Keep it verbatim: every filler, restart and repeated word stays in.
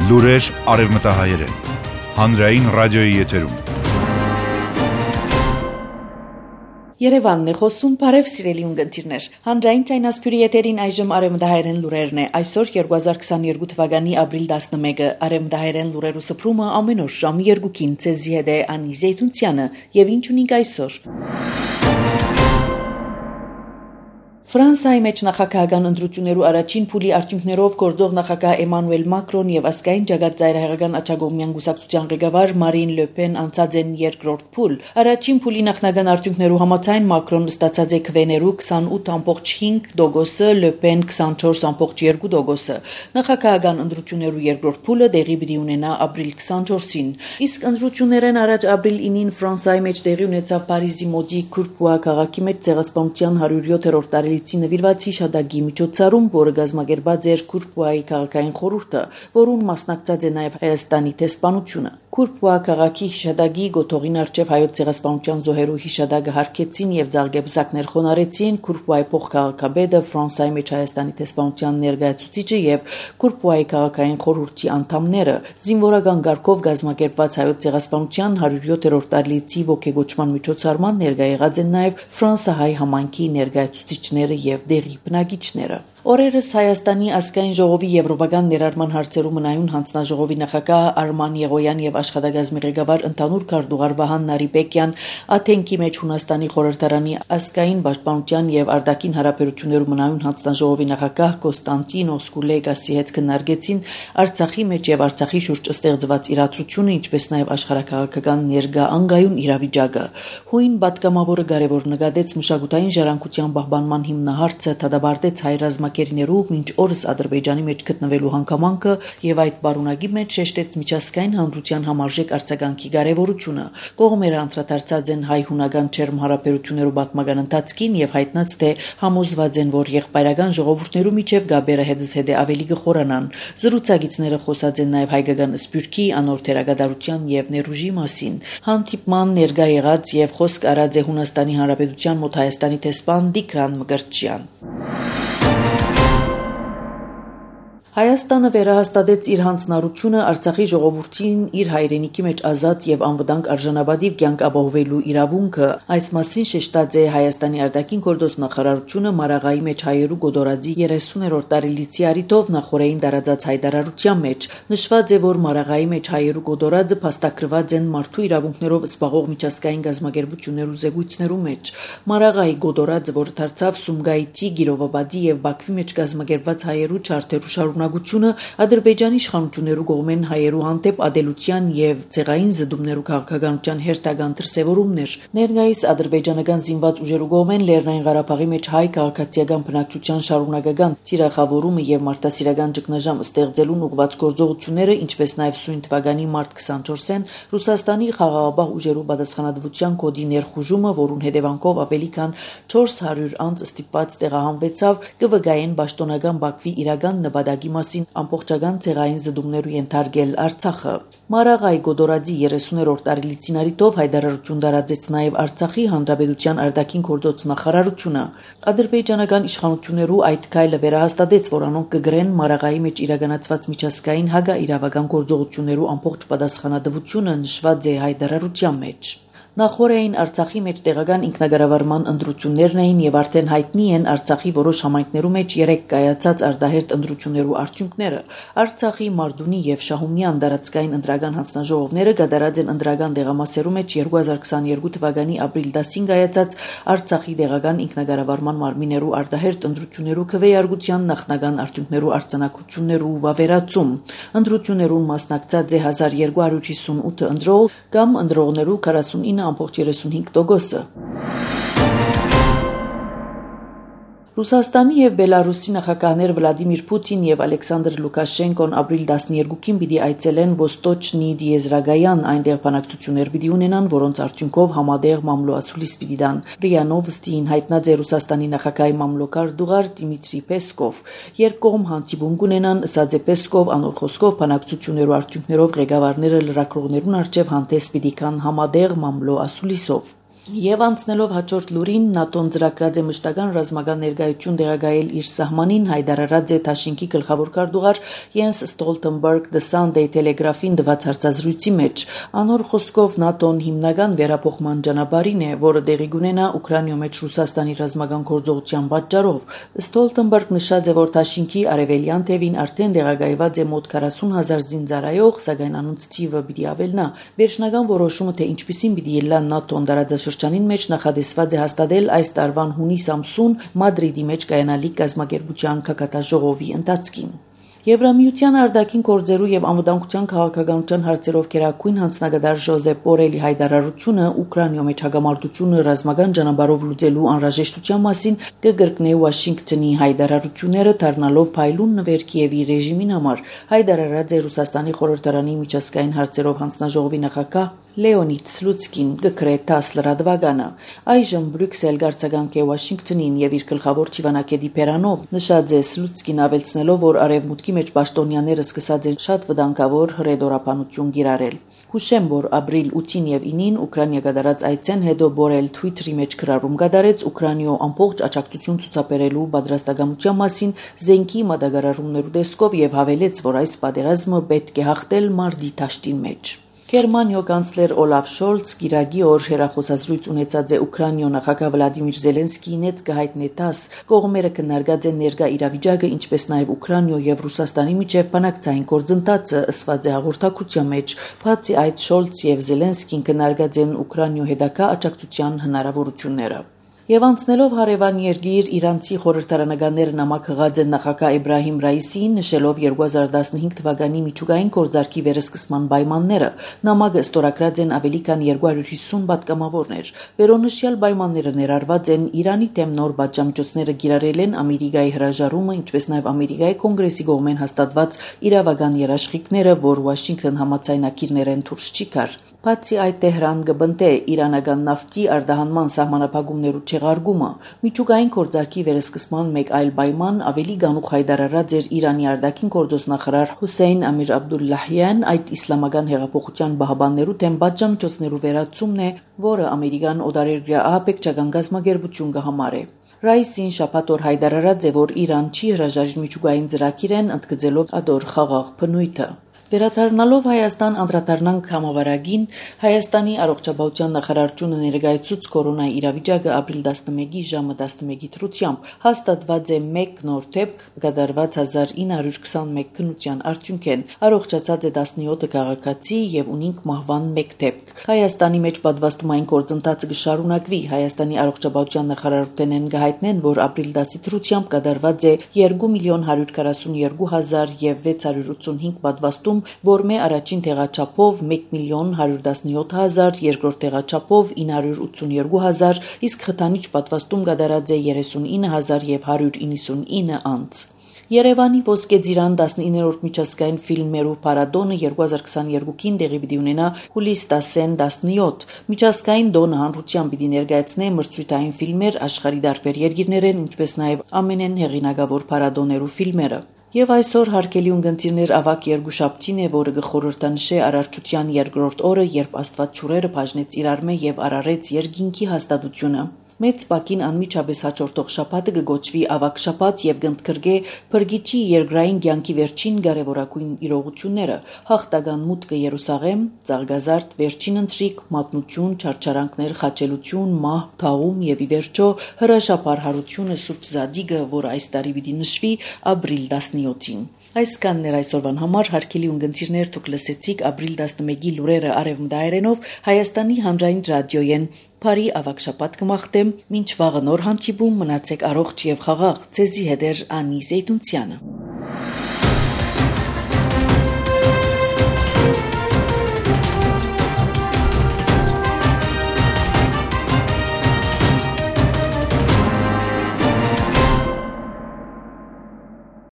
Լուրեր արևմտահայերեն, հանրային ռադիոյի եթերում։ Երևանն է խոսում, բարև սիրելի ունկնդիրներ։ Հանրային ցայնասփյուրի եթերին այժմ արևմտահայերեն լուրերն է։ Այսօր երկու հազար քսաներկու թվականի ապրիլ տասնմեկը արևմտահայերեն լուրերու սփռումը ամեն օր ժամը երկուին ցեզի հետ է Անի Զեյթունցյանը եւ ինչ ունենք այսօր։ Ֆրանսիայի մեջ նախագահական ընտրություններու առաջին փուլի արդյունքներով գործող նախագահ Էմանուել Մակրոն եւ ազգային ջագած ծայրահեղական աչագոմյան գուսակցության ղեկավար Մարին Լը Պեն անցած են երկրորդ փուլ։ Առաջին փուլի նախնական արդյունքներու համաձայն Մակրոն ստացած է քվեներու քսանութ ամբողջ հինգ տոկոսը, Լը Պեն քսանչորս ամբողջ երկու տոկոսը։ Նախագահական ընտրություններու երկրորդ փուլը տեղի պիտի ունենա ապրիլ քսանչորսին։ Իսկ ընտրություններն առաջ ապրիլ ինին Ֆրանսիայի մեջ տեղի ունեցավ Փարիզի մոտի Քուրպուա քաղաքի մեջ ցեղասպանության հարյուր յոթերորդ տարելիցի նվիրված հիշադակի միջոցառում, որը կազմակերպած էր Քուրպուայի քաղաքային խորհուրդը, որուն մասնակցած է նաև Հայաստանի տեսփանությունը։ Քուրպուա քաղաքի հիշադակի գոթողին արչև հայոց ցեղասպանության զոհերու հիշադակը հարգեցին եւ ձաղգեբզակներ խոնարեցին Քուրպուայի փոխքաղաքաբեդը, Ֆրանսիայի մեջ Հայաստանի տեսփանության ներկայացուցիչը եւ Քուրպուայի քաղաքային խորհրդի անդամները։ Զինվորական գարկով կազմակերպված հայոց ցեղասպանության հարյուր յոթերորդ տարելիցի ողջագործման միջոցառման ներկայ եղած են նաև ֆրանսահայ համայնքի ներկայացուցիչները եւ դեղի բնակիչները։ Օրերս Հայաստանի ազգային ժողովի եվրոպական ներառման հարցերու մնայուն հանձնաժողովի նախագահ Արման Եղոյան եւ աշխատակազմի ղեկավար ընդհանուր քարտուղար Վահան Նարիբեկյան Աթենքի մեջ Հունաստանի խորհրդարանի ազգային պաշտպանության եւ արտաքին հարաբերություններու մնայուն հանձնաժողովի նախագահ Կոստանտինոս Կուլեգասի հետ քննարկեցին Արցախի մեջ եւ Արցախի շուրջ ստեղծված իրադրությունը, ինչպես նաեւ աշխարհաքաղաքական ներկա անգայուն իրավիճակը։ Հույն պատգամավորը կարևոր նկատեց մշակութային ժառանգության պահպանման հիմնահարցը, դադարեցեց հայ ռազմակերներու մինչ օրս Ադրբեջանի մեջ գտնվելու հանգամանքը եւ այդ բարունակի մեջ շեշտեց միջազգային հանրության համարժեք արձագանքի կարեւորությունը։ Կողմերը անդրադարձած են հայ-հունական չերմ հարաբերություններու պատմական ընթացքին եւ հայտնած թե համոզված են, որ եղբայրական ժողովուրդներու միջև գաբերը հետզհետե ավելի կխորանան։ Զրուցակիցները խոսած են նաեւ հայկական սփյուռքի, անոր թերագադարության եւ ներուժի մասին։ Հանդիպման ներկա եղած եւ խոսք արած է Հունաստանի Հանրապետության մոտ Հայաստանի տեսփան Տիգրան Մկրտչյան։ Հայաստանը վերահաստատեց իր հանձնառությունը Արցախի ժողովրդին իր հայրենիքի մեջ ազատ եւ անվտանգ արժանապատիվ կյանք ապահովելու իրավունքը։ Այս մասին շեշտած է Հայաստանի արտաքին գործոստ նախարարությունը Մարաղայի մեջ հայերու գոդորածի երեսուներորդ տարելիցի արիթով նախորդային տարածած հայտարարության մեջ նշված է, որ Մարաղայի մեջ հայերու գոդորածը փաստագրված են մարդու իրավունքներով զբաղող միջազգային գազམ་ակերպություններու զեկույցներու մեջ։ Մարաղայի գոդորածը, որ դարձավ Սումգայիթի, Գիրովաբադի եւ Բաքվի մեջ գազམ་ակերպված հայերու չարթերու շարունակ Ադրբեջանի իշխանություններու կողմեն հայերու հանդեպ ադելության եւ ցեղային զդումներու քաղաքականության հերթական դրսեւորումներ։ Ներկայիս ադրբեջանական զինված ուժերու կողմեն Լեռնային Ղարաբաղի մեջ հայ քաղաքացիական բնակչության շարունակական թիրախավորումը եւ մարտահրավերական ճգնաժամ ստեղծելուն ուղղված գործողությունները, ինչպես նաեւ սույն թվականի մարտ քսանչորսին Ռուսաստանի խաղաղապահ ուժերու պատասխանատվության կոդի ներխուժումը, որուն հետևանքով ավելի քան չորս հարյուր անձ ստիպված տեղահանվեցավ, կվգայեն պաշտոնական Բաքվի իրական նպատակի մասին ամբողջական ցեղային զդումներու ենթարկել Արցախը։ Մարաղայի գոդորածի երեսուներորդ տարելիցին արիթով հայտարարություն տարածեց նաև Արցախի Հանրապետության արտաքին գործոց նախարարությունը։ Ադրբեջանական իշխանություններու այդ քայլը վերահաստատեց, որ անոնք կգրեն Մարաղայի մեջ իրականացված միջազգային հակաիրավական գործողություններու ամբողջ պատասխանատվությունը նշված է հայտարարության մեջ։ Նախորդային Արցախի մեջ տեղական ինքնագարավարման ընտրություններն էին եւ արդեն հայտնի են Արցախի որոշ համայնքներու մեջ երեք կայացած արտահերտ ընտրություններու արդյունքները։ Արցախի Մարդունի եւ Շահումյան դարածքային ընտրական հանձնաժողովները կատարած են ընտրական դեղամասերու մեջ երկու հազար քսաներկու թվականի ապրիլ տասին կայացած Արցախի տեղական ինքնագարավարման մարմիններու արտահերտ ընտրություններու քվեարկության նախնական արդյունքներու արձանագրություններու վավերացում։ Ընտրություններուն մասնակցած է հազար երկու հարյուր հիսունութ ընտրող կամ ընտրողներու քառասունինը ամբողջ երեսունհինգ տոկոսը։ Ռուսաստանի եւ Բելարուսի նախագահներ Վլադիմիր Պուտին եւ Ալեքսանդր Լուկաշենկոն ապրիլ տասներկուին պիտի այցելեն Ոստոչնի Դիեզրագայան, այնտեղ բանակցություններ պիտի ունենան, որոնց արդյունքով համատեղ մամլոասուլիս պիտի դան։ ՌԻԱ Նովոստին հայտնած է Ռուսաստանի նախագահի մամլոքար դուղար Դիմիտրի Պեսկով։ Երկկողմ հանդիպում կունենան, ըսած է Պեսկով, անոր խոսքով բանակցություններու արդյունքներով ղեկավարները լրագրողներուն առջև հանդես պիտի կան համատեղ մամլոասուլիսով։ Եվ անցնելով հաջորդ լուրին, ՆԱՏՕ-ն ծրագրած է մշտական ռազմական ներկայություն դեղագայել իր սահմանին, հայտարարած է Թաշինքի գլխավոր քարտուղար Յենս Ստոլտենբերգ The Sunday Telegraph-ին տված հարցազրույցի մեջ։ Անոր խոսքով ՆԱՏՕ-ն հիմնական վերափոխման ճանապարհին է, որը տեղի կունենա Ուկրաինայի մեջ Ռուսաստանի ռազմական գործողության պատճառով։ Ստոլտենբերգ նշած է, որ Թաշինքի արևելյան թևին արդեն դեղագայված է մոտ քառասուն հազար զինծառայող, սակայն անոնց թիվը պիտի ավելնա։ Վերջնական որոշումը, թե ինչպիսին պիտի ելնա ՆԱՏՕ-ն դարաձաշրջանին մեջ նախադեсված է հաստատել այս տարվան հունիս ամսուն Մադրիդի մեջ կայանալիք կազմակերպության քաղաքատաժողովի ընթացքին։ Եվրամիության արտաքին գործերու եւ անվտանգության քաղաքականության հարցերով գերագույն հանձնագետար Ժոզեփ Բորելի հայտարարությունը Ուկրաինայի մեջ հագամարտությունը ռազմական ճանապարհով լուծելու անհրաժեշտության մասին կգրկնի Վաշինգտոնի հայտարարությունները դառնալով փայլուն նվեր Կիևի ռեժիմին համար, հայտարարած է Ռուսաստանի խորհրդարանի միջազգային հարցերով հանձնաժողովի նախագահ Լեոնիդ Սլուցկին գկրե տասը լրատվականը։ Այժմ Բրյուսել գարցականք է Վաշինգտոնին եւ իր գլխավոր ճիվանակետի Պերանով նշած է Սլուցկին ավելցնելով, որ արևմուտքի մեջ պաշտոնյաները սկսած են շատ վտանգավոր հրեդորապանություն գիրարել։ Հուշեմ, որ ապրիլ ութին եւ ինին Ուկրաինա կատարած այցեն հետո Բորել Twitter-ի մեջ գրառում կատարեց Ուկրաինայով ամբողջ աջակցություն ցուցաբերելու պատրաստակամության մասին զենքի մատակարարումներու տեսքով եւ հավելեց, որ այս պատերազմը պետք է հաղթել մարտի դաշտին մեջ։ Գերմանիա կանցլեր Օլաֆ Շոլց գիրագի օր հերախոսազրույց ունեցած է Ուկրաինայ նախագահ Վլադիմիր Զելենսկիին հետ կհայտնի տաս կողմերը քննարկած են ներկա իրավիճակը, ինչպես նաև Ուկրաինայ եւ Ռուսաստանի միջև բանակցային գործընթացը, ըսված է հաղորդակցության մեջ։ Բացի այդ, Շոլց եւ Զելենսկին քննարկած են Ուկրաինայ հետագա աջակցության հնարավորությունները։ Եվ անցնելով հարևան երկիր իրանցի խորհրդարանականները նամակ հղած են նախագահ Իբրահիմ Ռայիսիին, նշելով երկու հազար տասնհինգ թվականի միջուկային գործարքի վերսկսման պայմանները։ Նամակը ստորագրած են ավելի քան երկու հարյուր հիսուն պատգամավորներ։ Վերոնշյալ պայմանները ներառված են Իրանի դեմ նոր պատժամիջոցները կիրառել են Ամերիկայի հրաժարումը, ինչպես նաև Ամերիկայի կոնգրեսի կողմեն հաստատված իրավական երաշխիքները, որ Վաշինգտոն համաձայնագիրներեն դուրս չի գար։ Բացի այդ, Տեհրան կբնտե իրանական նավթի արտահանման սահմանափակումներու չեղարկումը։ Միջուկային գործարքի վերսկսման մեկ այլ պայման ավելի գանուխ հայտարարած էր Իրանի արտաքին գործոստնախարար Հուսեյն Ամիր Աբդուլլահյան, այդ իսլամական հեղափոխության պահապաններու դեմ պատժամիջոցներու վերացումն է, որը Ամերիկան օտարերկրյա ահաբեկչական գազམ་ագերբություն կհամարի։ Ռայիսին շաբաթ օր հայտարարած է, որ Իրան չի հրաժարի միջուկային ծրագիրեն, ընդգծելով ադոր խաղաղ բնույթը։ Վերադառնալով Հայաստան անդրադառնանք համավարակին, Հայաստանի առողջապահության նախարարությունը ներկայացուց կորոնայի իրավիճակը ապրիլ տասնմեկի ժամը տասնմեկի դրությամբ հաստատված է մեկ նոր դեպք, կատարված հազար ինը հարյուր քսանմեկ քննության արդյունքեն, առողջացած է տասնյոթ քաղաքացի եւ ունինք մահվան մեկ դեպք։ Հայաստանի մեջ պատվաստումային գործընթացը կշարունակվի։ Հայաստանի առողջապահության նախարարությունեն կհայտնեն, որ ապրիլ տասի դրությամբ կատարված է երկու միլիոն հարյուր քառասունյոթ հազար եւ վեց հարյուր ութսունհինգ պատվաստում, որ մե առաջին տեղաչափով մեկ միլիոն հարյուր տասնյոթ հազար, երկրորդ տեղաչափով ինը հարյուր ութսունյոթ հազար, իսկ խթանիչ պատվաստում կատարած է երեսունինը հազար եւ հարյուր իննսունինը անց։ Երևանի Ոսկե Ծիրան տասնիններորդ միջազգային ֆիլմերու փառատոնը երկու հազար քսաներկուին տեղի պիտի ունենա հուլիս տասին տասնյոթ։ Միջազգային տոնը հանրության պիտի ներկայացնե մրցույթային ֆիլմեր աշխարհի տարբեր երկիրներեն, ինչպես նաև ամենեն հեղինակավոր փառատոներու ֆիլմերը։ Եվ այսօր հարգելի ունկնդիրներ ավակ երկուշաբթին է, որը կխորհրդանշե Արարչության երկրորդ օրը, երբ Աստված ջուրերը բաժնեց իրար մե եւ արարեց երկինքի հաստատությունը։ Մեծ պակին անմիջապես հաջորդող շաբաթը կգոչվի ավակ շաբաթ եւ կընդգրկե Փրկիչի երկրային կյանքի վերջին կարևորագույն իրողությունները՝ հաղթական մուտքը Երուսաղեմ, Ծաղկազարդ վերջին ընթրիք, մատնություն, չարչարանքներ, խաչելություն, մահ, թաղում եւ ի վերջո հրաշափառ հարությունը Սուրբ Զադիգը, որը այս տարի պիտի նշվի ապրիլ տասնյոթին։ Այսքանն էր այսօրվան համար, հարգելի ունկնդիրներ, դուք լսեցիք ապրիլ տասնմեկի լուրերը արևմտահայերենով Հայաստանի հանրային ռադիոյեն։ Բարի ավակ շաբաթ կմաղթեմ, մինչ վաղը նոր հանդիպում, մնացեք առողջ եւ խաղաղ։ Ձեզի հետ էր Անի Զեյդունցյանը։